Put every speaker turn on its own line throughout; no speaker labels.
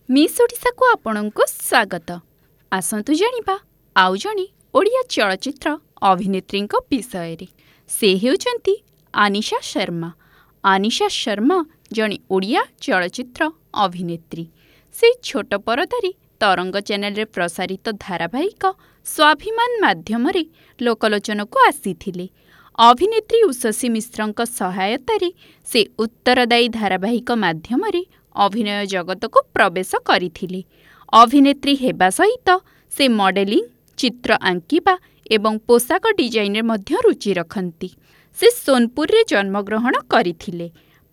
Miss ଓଡ଼ିଶାକୁ ଆପଣଙ୍କୁ ସ୍ୱାଗତ। ଆସନ୍ତୁ ଜାଣିବା ଆଉ ଜଣେ ଓଡ଼ିଆ ଚଳଚ୍ଚିତ୍ର ଅଭିନେତ୍ରୀଙ୍କ ବିଷୟରେ। ସେ ହେଉଛନ୍ତି ଆନିଶା ଶର୍ମା। ଆନିଶା ଶର୍ମା ଜଣେ ଓଡ଼ିଆ ଚଳଚ୍ଚିତ୍ର ଅଭିନେତ୍ରୀ। ସେ ଛୋଟ ପରଦାରେ ତରଙ୍ଗ ଚ୍ୟାନେଲରେ ପ୍ରସାରିତ ଧାରାବାହିକ ସ୍ୱାଭିମାନ ମାଧ୍ୟମରେ ଲୋକଲୋଚନକୁ ଆସିଥିଲେ। ଅଭିନେତ୍ରୀ ଉଷସୀ ମିଶ୍ରଙ୍କ ସହାୟତାରେ ସେ ଉତ୍ତରଦାୟୀ ଧାରାବାହିକ ମାଧ୍ୟମରେ ଅଭିନୟ ଜଗତକୁ ପ୍ରବେଶ କରିଥିଲେ। ଅଭିନେତ୍ରୀ ହେବା ସହିତ ସେ ମଡେଲିଂ, ଚିତ୍ର ଆଙ୍କିବା ଏବଂ ପୋଷାକ ଡିଜାଇନରେ ମଧ୍ୟ ରୁଚି ରଖନ୍ତି। ସେ ସୋନପୁରରେ ଜନ୍ମଗ୍ରହଣ କରିଥିଲେ।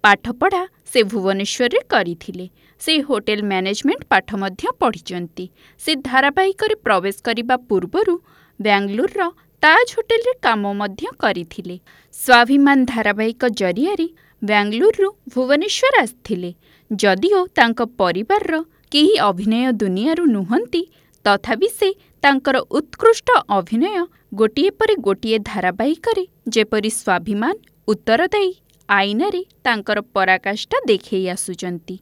ପାଠପଢ଼ା ସେ ଭୁବନେଶ୍ୱରରେ କରିଥିଲେ। ସେ ହୋଟେଲ ମ୍ୟାନେଜମେଣ୍ଟ ପାଠ ମଧ୍ୟ ପଢ଼ିଛନ୍ତି। ସେ ଧାରାବାହିକରେ ପ୍ରବେଶ କରିବା ପୂର୍ବରୁ ବାଙ୍ଗାଲୋରର ତାଜ ହୋଟେଲରେ କାମ ମଧ୍ୟ କରିଥିଲେ। ସ୍ୱାଭିମାନ ଧାରାବାହିକ ଜରିଆରେ ବାଙ୍ଗାଲୋରରୁ ଭୁବନେଶ୍ୱର ଆସିଥିଲେ। ଯଦିଓ ତାଙ୍କ ପରିବାରର କେହି ଅଭିନୟ ଦୁନିଆରୁ ନୁହନ୍ତି, ତଥାପି ସେ ତାଙ୍କର ଉତ୍କୃଷ୍ଟ ଅଭିନୟ ଗୋଟିଏ ପରେ ଗୋଟିଏ ଧାରାବାହିକରେ ଯେପରି ସ୍ୱାଭିମାନ, ଉତ୍ତରଦାୟୀ, ଆଇନାରେ ତାଙ୍କର ପରାକାଷ୍ଠା ଦେଖେଇ ଆସୁଛନ୍ତି।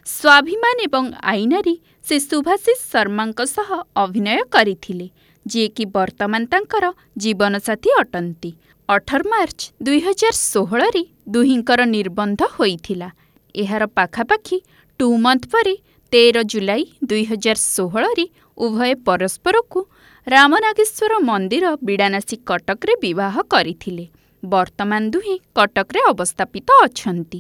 ସ୍ୱାଭିମାନ ଏବଂ ଆଇନାରେ ସେ ସୁଭାଶିଷ ଶର୍ମାଙ୍କ ସହ ଅଭିନୟ କରିଥିଲେ, ଯିଏକି ବର୍ତ୍ତମାନ ତାଙ୍କର ଜୀବନସାଥୀ ଅଟନ୍ତି। 18 ମାର୍ଚ୍ଚ 2016ରେ ଦୁହିଁଙ୍କର ନିର୍ବନ୍ଧ ହୋଇଥିଲା। ଏହାର ପାଖାପାଖି 2 ମନ୍ଥ ପରେ 13 ଜୁଲାଇ 2016ରେ ଉଭୟେ ପରସ୍ପରକୁ ରାମନାଗେଶ୍ୱର ମନ୍ଦିର, ବିଡ଼ାନାସୀ, କଟକରେ ବିବାହ କରିଥିଲେ। ବର୍ତ୍ତମାନ ଦୁହେଁ କଟକରେ ଅବସ୍ଥାପିତ ଅଛନ୍ତି।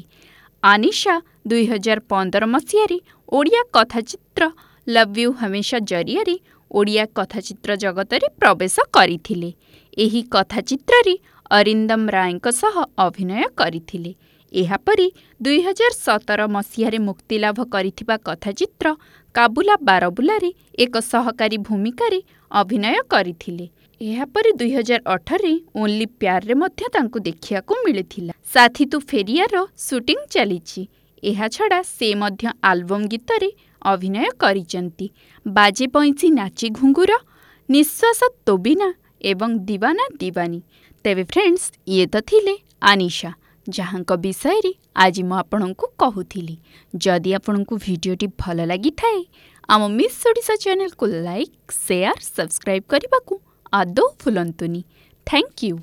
ଆନିଶା 2015 ମସିହାରେ ଓଡ଼ିଆ କଥାଚିତ୍ର ଲଭ୍ you ହମେଶା ଜରିଆରେ ଓଡ଼ିଆ କଥାଚିତ୍ର ଜଗତରେ ପ୍ରବେଶ କରିଥିଲେ। ଏହି କଥାଚିତ୍ରରେ ଅରିନ୍ଦମ ରାୟଙ୍କ ସହ ଅଭିନୟ କରିଥିଲେ। ଏହାପରେ 2017 ମସିହାରେ ମୁକ୍ତିଲାଭ କରିଥିବା କଥାଚିତ୍ର କାବୁଲା ବାରବୁଲାରେ ଏକ ସହକାରୀ ଭୂମିକାରେ ଅଭିନୟ କରିଥିଲେ। ଏହାପରେ 2018ରେ ଓନ୍ଲି ପ୍ୟାରରେ ମଧ୍ୟ ତାଙ୍କୁ ଦେଖିବାକୁ ମିଳିଥିଲା। ସାଥୀ ତୁ ଫେରିଆର ସୁଟିଂ ଚାଲିଛି। ଏହାଛଡ଼ା ସେ ମଧ୍ୟ ଆଲବମ୍ ଗୀତରେ ଅଭିନୟ କରିଛନ୍ତି, ବାଜେ ବଇଁଶୀ ନାଚେ ଘୁଙ୍ଗୁର, ନିଶ୍ୱାସ ତୋ ବିନା ଏବଂ ଦିୱାନା ଦିୱାନୀ। ତେବେ ଫ୍ରେଣ୍ଡସ୍, ଇଏ ତ ଥିଲେ ଆନିଶା, ଯାହାଙ୍କ ବିଷୟରେ ଆଜି ମୁଁ ଆପଣଙ୍କୁ କହୁଥିଲି। ଯଦି ଆପଣଙ୍କୁ ଭିଡ଼ିଓଟି ଭଲ ଲାଗିଥାଏ, ଆମ ମିସ୍ ଓଡ଼ିଶା ଚ୍ୟାନେଲକୁ ଲାଇକ୍, ସେୟାର, ସବସ୍କ୍ରାଇବ୍ କରିବାକୁ ଆଦୌ ଭୁଲନ୍ତୁନି। Thank you.